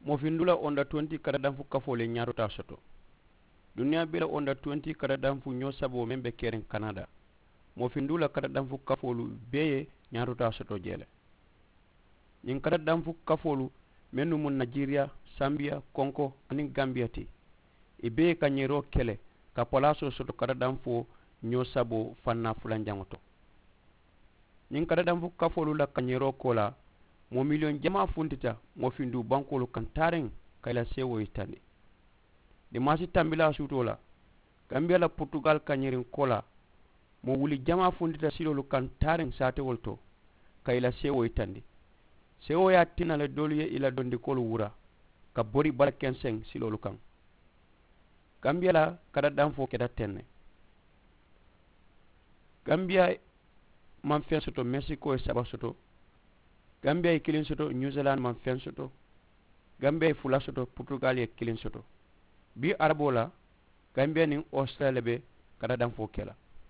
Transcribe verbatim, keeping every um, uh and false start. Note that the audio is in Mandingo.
Moo finduu la onda twenty kadadanfu kafoo le ñaatotaa soto. Duniyaa bee la onda twenty kadadanfu ñoo saboo meŋ be keriŋ kanada, moo finduu la kadadanfu kafoolu bee ye ñaatotaa soto jee le. Ñiŋ kadadanfu kafoolu mennu mu najeriya, sambiya, konko aniŋ gambiya ti, i bee ye kañeeroo ke le ka palaasoo soto kadadanfoo ñoo saboo fannaa fulanjaŋo to. Ñiŋ kadadanfu kafoolu la kañeeroo koolaa, moo miliyoŋ jamaa funtita moo finduu bankoolu kaŋ taariŋ ka i la seewoo yitandi. Dimaasi tambilaa suutoo la, gambiya la purutugal kañeeriŋ koolaa, moo wuli jamaa funtita siloolu kaŋ taariŋ saatewolu to ka i la seewoo yitandi. Seewoo ye a tinna le doolu ye i la dondikoolu wura ka bori bala kenseŋ siloolu kaŋ. Gambiya la kadadanfoo keta teŋ ne. Gambiya maŋ feŋ soto, mexico ye saba soto. Gambiya ye kiliŋ soto, new zealand maŋ feŋ soto. Gambiya ye fula soto, purutugal ye kiliŋ soto. Bii araboo la, gambiya niŋ australia le be kadadanfoo ke la.